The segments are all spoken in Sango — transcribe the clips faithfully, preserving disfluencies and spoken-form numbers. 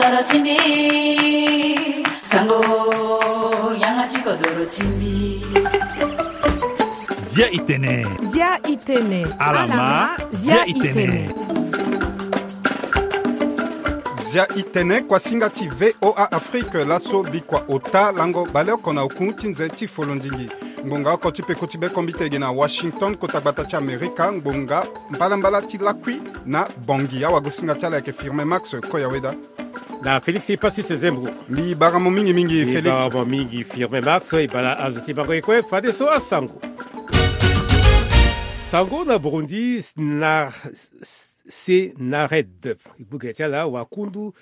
Doro ti mbi, sango, yanga ti kodoro ti mbi. Zia i tene. Zia i tene. Ala ma, zia i tene. Zia i tene, kuasinga ti V O A Afrique, laso bikua ota lango baleoko na oku ti nze ti folondingi. Ngbonga oko ti peko ti bekombite ge na Washington, kota gbata ti Amerika, ngbonga mbalambala ti lakui na Bangui. Awagosinga ti ala ayeke Firmin Max Koyaweda. Na Félix Passis Zembo. Mbi bara mo mingi mingi, Félix. Mbi bara mo mingi, Firmin Max. E bala azo ti bango e kue, fadeso asango. Sango na Burundi, na Senared, gbuge ti ala, wakundu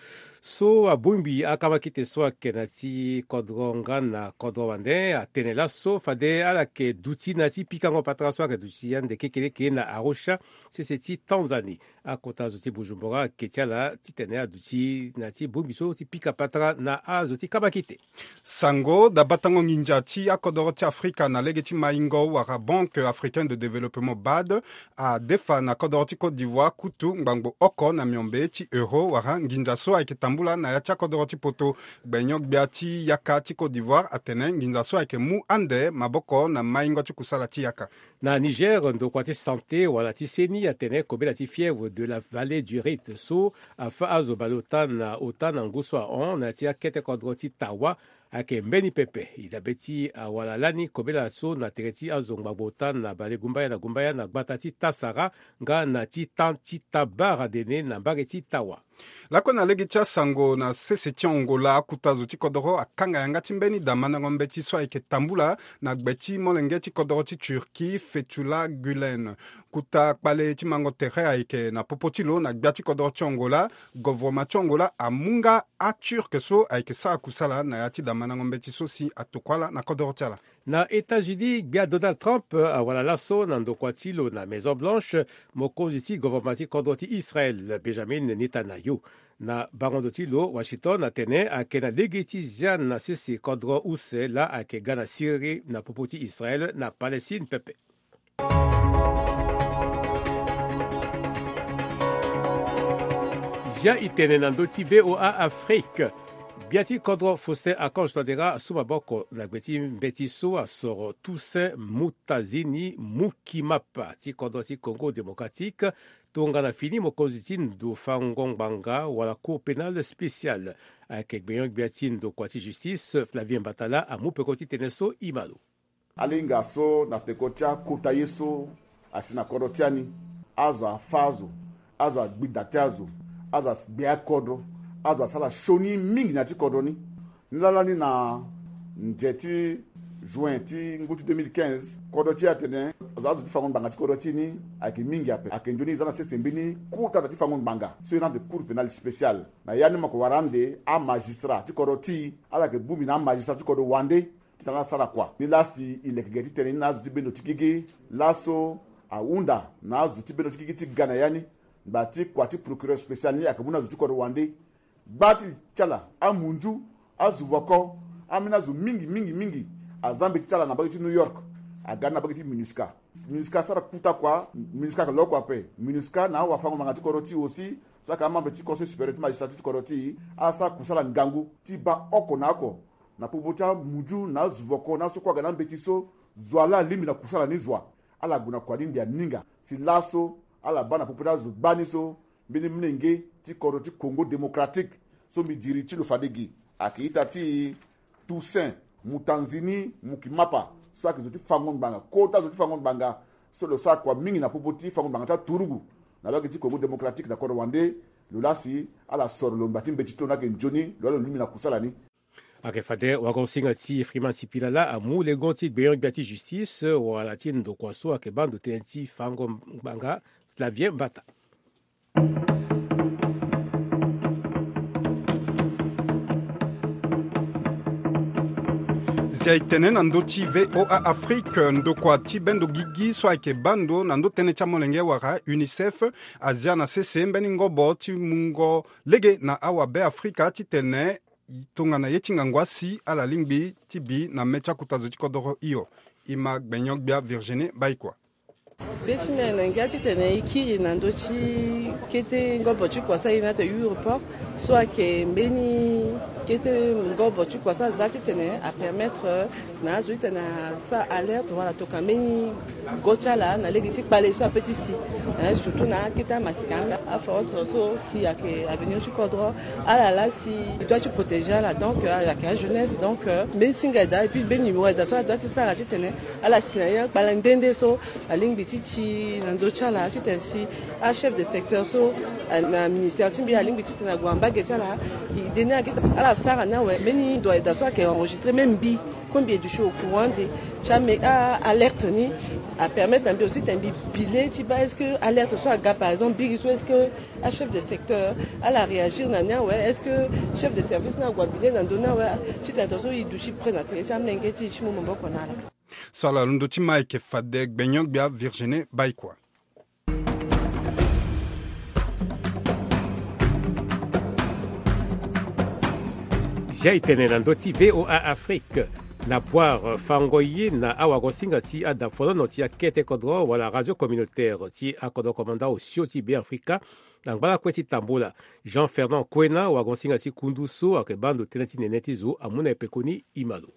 so abongbi akamakite so ayeke na ti kodro nga na kodro wande, atene laso fade ala yeke duti na ti pikango patara so ayeke duti ande kekeleke na Arusha, sese ti Tanzanie. Akota zo ti Bujumbura ayeke ti ala titene aduti na ti bongbi so ti pika patara na azo ti kamakite. Sango, dabatango nginza ti akodoro ti Afrika na lege ti maingo wala Banque Africaine de Développement, BAD, adefa na kodoro ti Côte d'Ivoire kutu ngbangbo oko na miombe ti euro wala nginza so ayeke tambula na ya ti akodoro ti poto. Gbenyo-gbia ti yaka ti Côte d'Ivoire atene nginza so ayeke mu ande maboko na maingo ti kusala ti yaka. Na Niger, ndokua ti santé wala ti seni atene kobela ti fièvre de la vallée du Rift so afa azo baleota na ota na ngu so ahon na ya ti akete kodro ti Tawa ayeke mbeni pepe. E dabe ti awala lani kobela so na tere ti azo ngbangbo ota na balegumbaya na gumbaya na gbata ti Tasara nga na ti tan ti Tabara dene na mbage ti Tawa. Lakue na lege ti asango, na sese ti Angola, akuta zo ti kodoro akanga yanga ti mbeni damandango mbeti so ayeke tambula na gbe ti molenge ti kodoro ti Turquie, Fethullah Gulen. Kuta kpale ti mango tere ayeke na popo ti lo na gbia ti kodoro ti Angola. Govoroma ti Angola amu nga aTurk so ayeke sara kusala na ya ti damandango mbeti so si atokua ala na kodoro ti ala. Na États-Unis, gbia Donald Trump awara laso na ndokua ti lo na Maison Blanche, mokonzi ti govoroma ti kodro ti Israel, Benjamin Netanyahu. Na bango ndo ti lo, Washington atene ayeke na lege ti zia na sese kodro use laa ayeke ga na Syrie na popo ti Israel na Palestine pepe. Zia i tene na ndö ti V O A Afrique. Gbia ti kodro Faustin Archange Touadéra asu maboko na gbe ti mbeti so asoro Toussaint Mutazini Mukimapa ti kodro ti Congo Démocratique, tongana fini mokonzi ti ndo fango ngbanga wala Cour pénale spéciale. Ayeke gbenyo-gbia ti ndokua ti justice, Flavien Batala, amu peko ti tënë so e ma lo. Alinga so na peko ti akota ye so asi na kodro ti ani, azo afa azo, azo agbi da ti azo, azo agbe akodro, azo asara sioni mingi na ya ti kodro ni. Ni laa lani na nze ti juin ti ngu ti deux mille quinze, kodro ti e atene azo, azo ti fango ngbanga ti kodro ti e ni ayeke mingi ape. Ayeke nzoni e za na sese mbeni kota da ti fango ngbanga so e na ande Cour pénale spéciale. Na ya ni mo yeke wara ande amagistrat ti kodro ti e, ala yeke bongbi na amagistrat ti kodro wande titene ala sara kua. Ni laa si e leke ge ti tene ni na azo ti bendo ti gigi. Laso ahunda na azo ti bendo ti gigi ti ga na ya ni ngba ti kua ti procureur spécial ni ayeke mu na azo ti kodro wande. Gba ti ti ala, amunzu, azuvoko, ambeni azo mingi mingi mingi aza mbeti ti ala na mbage ti New York, aga ni na mbage ti MINUSCA. MINUSCA asara kuta kua, MINUSCA ayeke lo oko ape. MINUSCA na awafango-ngbanga ti kodro ti e aussi, so ayeke amembre ti Conseil supérieur ti magistrat ti kodro ti e, asara kusala ngangu ti baa oko na oko na popo ti amunzu na azuvoko na aso kue aga na ambeti so, zo wa laa alingbi na kusala ni zo wa, ala gue na kua ni mbi aninga. Si laso ala baa na popo ti azo gbani so, mbeni molenge ti kodro ti Congo Démocratique so mbi diri ti lo fade gi, ayeke ita ti Toussaint Mutanzini Mukimapa, so ayeke zo ti fango ngbanga, kota zo ti fango ngbanga so lo sara kua mingi na popo ti fango ngbanga ti aturugu na mbage ti Congo Démocratique na kodro wande. Lo laa si ala soro lo ngba ti mbeti ti lo ni ayeke nzoni, lo laa lo lingbi na kusala ni. Ayeke fade wagosinga ti Freeman Sipila laa amu lengo ti gbenyo-gbia ti justice wala ti ndokua so ayeke baa ndo tënë ti fango ngbanga, Flavien Mbata. Zia e tene na ndö ti V O A Afrique, ndokua ti bendo gigi so ayeke baa ndo na ndö tënë ti amolenge wala UNICEF azia na sese mbeni ngobo ti mungo lege na awabe Afrika titene tongana ye ti ngangu asi ala lingbi ti bi na me ti akuta zo ti kodoro hio. E ma gbenyo-gbia Virginie Baikua. Be ti me na ngia titene e kiri na ndö ti Kete ngobo ti kua so aye na ate aéroport so ayeke mbeni kete ngobo ti kua so aza titene apermettre na azo titene asara alerte wala tokua mbeni go ti ala na lege ti kpale so ape ti si. Surtout na akete amasika afarote so si ayeke avenir ti kodro. Ala laa si e doit ti protéger ala, donc ayeke ajeunesse, donc mbeni singa eda et puis mbeni numéro eda so adoit ti sara titene ala si na ya kpale nde nde so alingbi ti ti na ndö ti ala titene si achef de secteur so na ministère ti mbi alingbi titene ague na mbage ti ala. Ide ni ayeke ti ala sara ni awe mbeni ndo eda so ayeke enregistré même mbi, kue mbi e duti au courant ande ti ame a alerte ni. Apermettre na mbi aussi titene mbi bile ti baa est-ce que alerte so aga par exemple biri so est-ce que achef de secteur ala réagir na ni awe, est-ce que chef de service ni ague abile na ndö ni awe? Titene tongaso e duti près na tene ti amenge ti e ti mu maboko na ala. So ala londo ti ma ayeke fade gbenyo-gbia Virginie Baikua. Zia e tene na ndö ti VOA Afrique. Na Boire, fango ye na awagosinga ti adafonono ti akete kodro wala radio communautaire ti akodro komanda osio ti Beafrika. Na ngbalakue ti Tambula, Jean Fernand Koena, wagosinga ti kundu so ayeke baa ndo tënë ti nene ti zo amu na e pekoni e ma lo.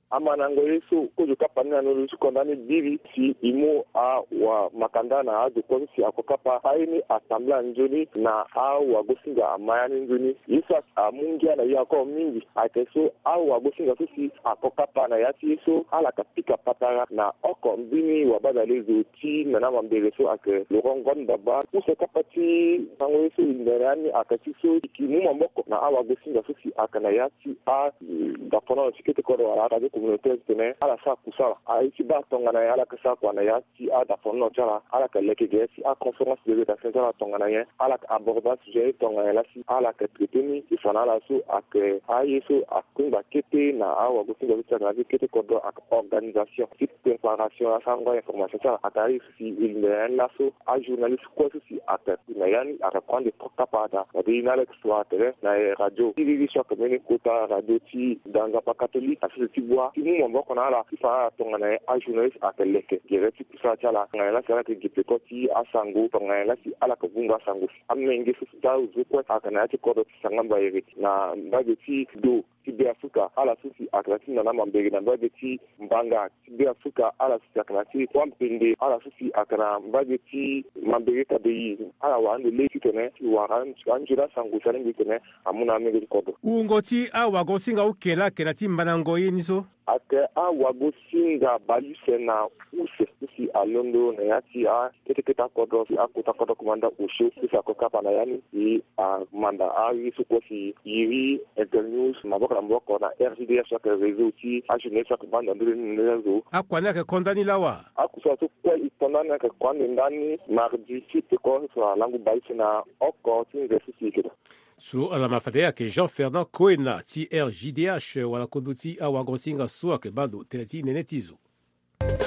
Amandango ye so kozo kapa ni na ndö ti konda ni biri si e mu awamakanda na azo kue so si ako kapa aye ni atambula nzoni na awagosinga ama ya ni nzoni. Ye so amu ngia na e encore mingi ayeke so awagosinga so si ako kapa na ya ti ye so ala yeke pika patara na oko mbeni wabadalezo ti nana mambere so ayeke Laurent Ngon Baba. Use kapa ti sango ye so e yinda na ya ni ayeke ti so e yeke mu maboko na awagosinga so si ayeke na ya ti adafonono ti kete kodro wala aradio communautaire titene ala sara kusala. Aye ti baa tongana nyen ala yeke sara kua na ya ti adafonono ti ala? Ala yeke leke gere ti aconférence de rédaction ti ala tongana nyen? Ala yeke aborder sujet ni tongana nyen laa si ala yeke traité ni? E fa na ala so ayeke aye so akungba kete na awagosinga so si ayeke na ya ti kete kodro ayeke organisation ti préparation asango information ti ala. Ayeke aye so si e linda na ya ni laso ajournaliste kue so si ayeke na ya ni ayeke kue ande kapa daa. Fade e na ala yeke so atene na radio ti riri so ayeke mbeni kota radio ti Dangapa Catholique na sese ti Bua ti mu maboko na ala ti fa na ala tongana nyen ajournaliste ayeke leke gere ti kusala ti ala, tongana nyen laa si ala yeke gi peko ti asango, tongana nyen laa si ala yeke vunga asango si amenge so si ti azo kue ayeke na ya ti kodro ti Sangamba Ere na mbage ti do ti Beafrika, ala so si ayeke na ya ti nana mambere na mbage ti Mbanga ti Beafrika, ala so si ayeke na ya ti Wampende, ala so si ayeke na mbage ti mambere Kabeyi, ala wara ande lege titene e wara anzoni asango si alingbi titene amu na amenge ti kodro. Wungo ti awagosinga oko laa ayeke na ya ti mandango ye ni so? Ayeke awagosinga bale use na use so si alondo na ya ti a kete kete akodro ti akota kodro komanda osio so si ako kapa na ya ni. E amanda aye so kue si iri Internews maboko na maboko na R J D H so ayeke réseau ti ajournaliste so ayeke baa ndo na ndö ni na ndö ti azo. Akua ni ayeke konda ni lawa? Akusala so kue e konda ni ayeke kua ande ndani mardi ti peko so alangu bale use na oko ti nze so si e yeke daa. So ala ma fade ayeke Jean Fernand Koena ti R J D H wala kondo ti awagosinga so ayeke baa ndo tënë ti nene ti zo.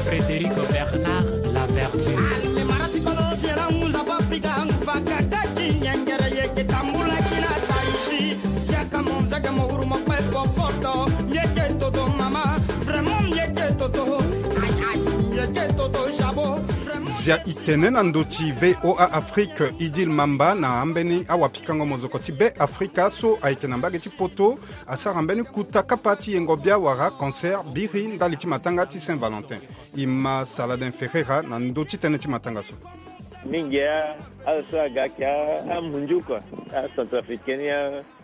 Frédéric Bernard Laverture. Zia e tene na ndö ti VOA Afrique, Idil Mamba na ambeni awapikango mozoko ti Beafrika so ayeke na mbage ti Poto asara mbeni kuta kapa ti yengo bia wala concert biri ndali ti matanga ti Saint Valentin. E ma Saladin Ferreira na ndö ti tënë ti matanga so. Mingi a azo so aga ayeke amunzu kua, acentrafricain ni,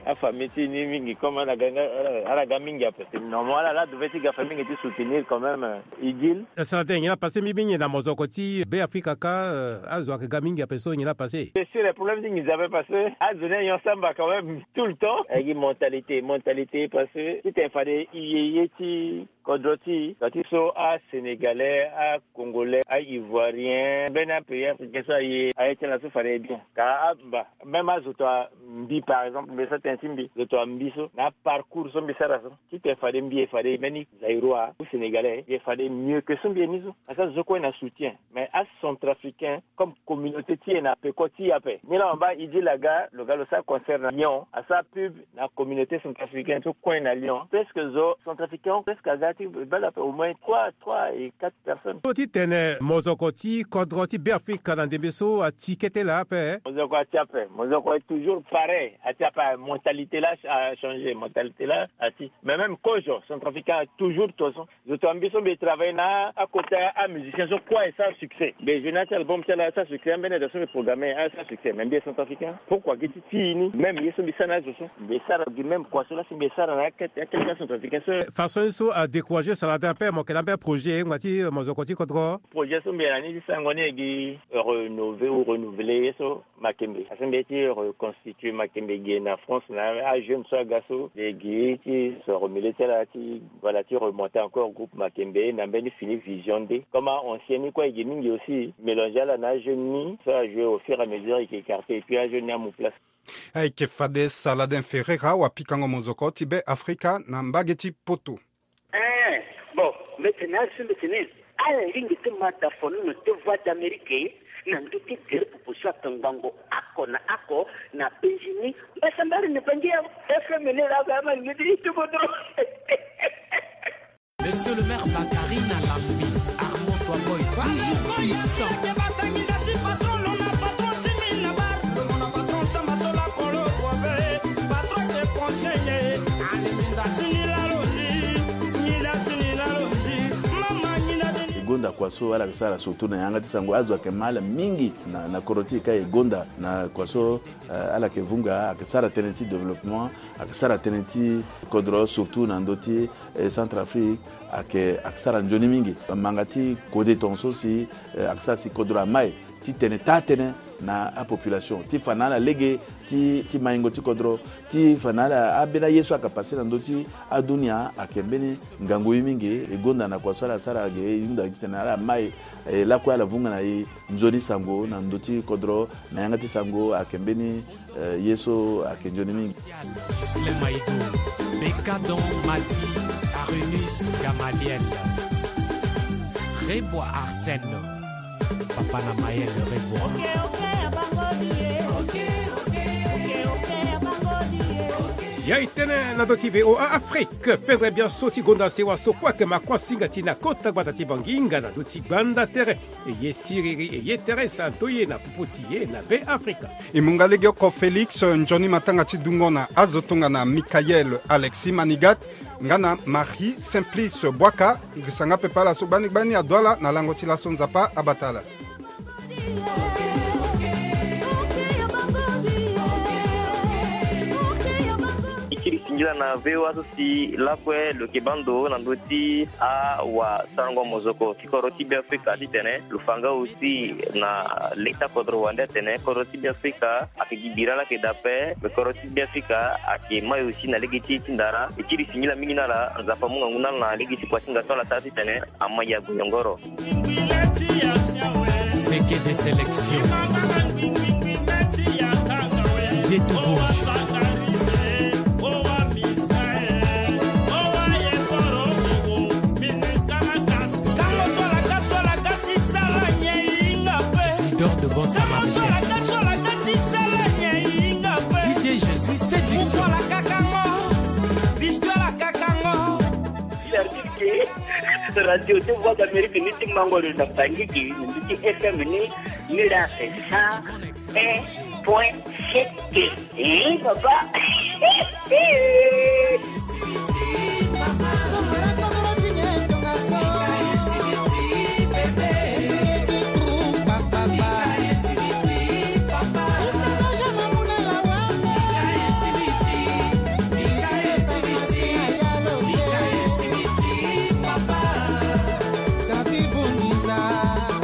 afamille ti e ni mingi comme ala ga mingi ape. Normalement ala laa devait ti ga fa mingi ti soutenir quand même. Idil. Saladin, nyen la passé mbi bi nyen na mozoko ti Beafrika kâ? Azo ayeke ga mingi ape so, nyen la passé? C'est sûr, le problème ti nginza ape parce que azo ni anyon samba quand même tout le temps. Ayeke gi mentalité, mentalité parce que titene fade e ye ye ti kodro ti e, ka ti so asénégalais, acongolais, aivoirien, mbeni apays africain so aye aye ti ala so fade e bien. Ka aba même azo to ambi par exemple, mbi sara tënë ti mbi, zo to ambi so na aparcours so mbi sara so, titene fade mbi e fade mbeni zaïrois ou sénégalais e fade mieux que so mbi e ni so. Parce que azo so kue na soutien. Mais acentrafricain comme communauté ti e na peko ti e ape. Ni laa mo baa Idil aga, lo ga lo sara concert na Lyon, asara pub na communauté centrafricaine so kue na Lyon. Presque zo centrafricain presque aga ti bale ape au moins trois, trois et quatre personnes. So titene mozoko ti kodro ti Beafrika na ndembe so ati kete te laa ape. Mozoko ati ape, mozoko est toujours pareil, ati ape. Mentalité la a changé, mentalité la ati. Mais même kozo centrafricain toujours tozo. Zo to ambi so mbi travailler na akota amusicien so kue asara succès. Mbi jeune ati album ti ala asara succès, ambeni azo so mbi programme asara succès, mais mbi est centrafricain. Pourquoi gi ti ti ni même ye so mbi sara na azo so mbi sara gi même kua so la si mbi sara na akete akete centrafricain so. Façon so adécourager salade ape mo kela mpe projet ngba ti mozoko ti kodro. Projet so mbi na ni ti sango ni egi rénover ou renouveler ye so Makembe. Parce que mbi ye ti reconstituer Makembe ge na France na ajeune so aga so mbi ye gi ti se remuler ti ala ti, voilà, ti remonter encore groupe Makembe na mbeni fini vision nde. Comme a ancien ni kue ege mingi aussi, mélanger ala na ajeune ni so ajouer au fur et à mesure eke écarter et puis ajeune ni amu place. Ayeke fade Saladin Ferreira wapikango mozoko ti Be Afrika na mbage ti Poto. Eh, bon, mbetene azo so mbetene ala lingbi ti ma da fonono ti Voix d'Amérique na ndö ti gere popo so akangbango oko na oko na Benjini. Mbasambari ni bangi ya F M ni la ga ma lingbi ti tubo do. Monsieur le maire Bakari na Lambi, Armand Toaboy, toujours puissant. E gonda kua so ala yeke sara surtout na yanga ti sango, azo ayeke ma ala mingi na, na kodro ti e ka e gonda na kua so, eh, ala yeke vunga, ayeke sara tënë ti développement, ayeke sara tënë ti kodro surtout na ndö ti, eh, Centrafrique, ayeke, ayeke sara nzoni mingi. Manga ti kode tongaso si, eh, ayeke sara si kodro amai ti tene taa tënë na apopulation ti fa na ala lege ti, ti maingo ti kodro, ti fa na ala ambeni aye so ayeke passe na ndö ti adunia ayeke mbeni ngangu ye mingi. E gonda na kua so ala sara ge e hunda titene ala mai, eh, lakue ala vunga na e nzoni sango na ndö ti kodro na yanga ti sango ayeke mbeni, eh, ye so ayeke nzoni mingi. Ghislain Maïdo, Bekadon Madi, Arenus Gamaliel, Rebois Arsène, Papa na Maël Rebois. Ya e tene na ndö ti V O A Afrique, pendre bianso ti gonda sewa so kue ayeke ma kuâ singa ti na kota gbata ti Bangi nga na ndö ti gbanda tere. E ye siriri, e ye tere santo ye na popo ti ye na Be Afrika. E mu nga legeoko Félix, nzoni matanga ti dungo na azo tongana Michael Alexis Manigat, nga na Marie Simplice Boaka, e sanga pepe ala so gbani gbani ado ala na lango ti laso Nzapa abata ala. E kiri singila na V O A so si lakue lo yeke baa ndo na ndö ti awasarango mozoko ti kodro ti Be Afrika titene lo fa nga aussi na leta kodro wande atene kodro ti Be Afrika ayeke gi bira laa ayeke daa ape. Me kodro ti Be Afrika ayeke mai aussi na lege ti e ti ndara. E kiri singila mingi na ala, Nzapa amu ngangu na ala na lege ti kua ti nga so ala sara titene ama ya gue nyongoro. Seke de sélection. Didier Toubouche. Isidore de Bon Samaritain. Didier Jésus, séduction. Service ke radio ti Voix d'Amérique ni ti mango lo na Bangi gi, ni ti F M ni, ni la cent un point sept. Eh, papa.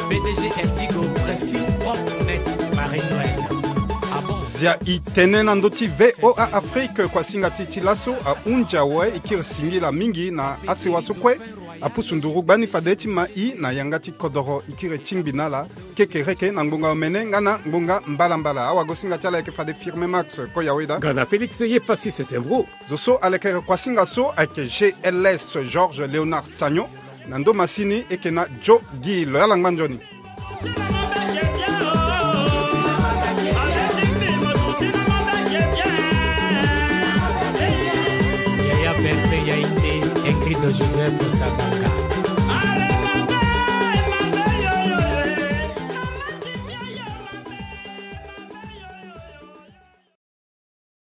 P D G Elvigo, pressing propre net, Marie Noël. Ah bon? Zia e tene na ndö ti V O A Afrique, kuasinga ti ti laso ahunzi awe, e kiri singila mingi na asewa so kue apusu nduru gbani fade ti ma i na yanga ti kodoro. E kiri tingbi na ala kekereke na ngbonga omene nga na ngbonga mbalambala. Awagosinga ti ala ayeke fade Firme Max Koyaweda nga na Félix Yepassis Sembro. Zo so alekere kuasinga so ayeke G L S Georges Léonard Sagnon. Na ndo masini e yeke na Joe Guy Loyalangba Nzoni. Yaya Bertin Yaïté, Ingrid Joseph Sabanga.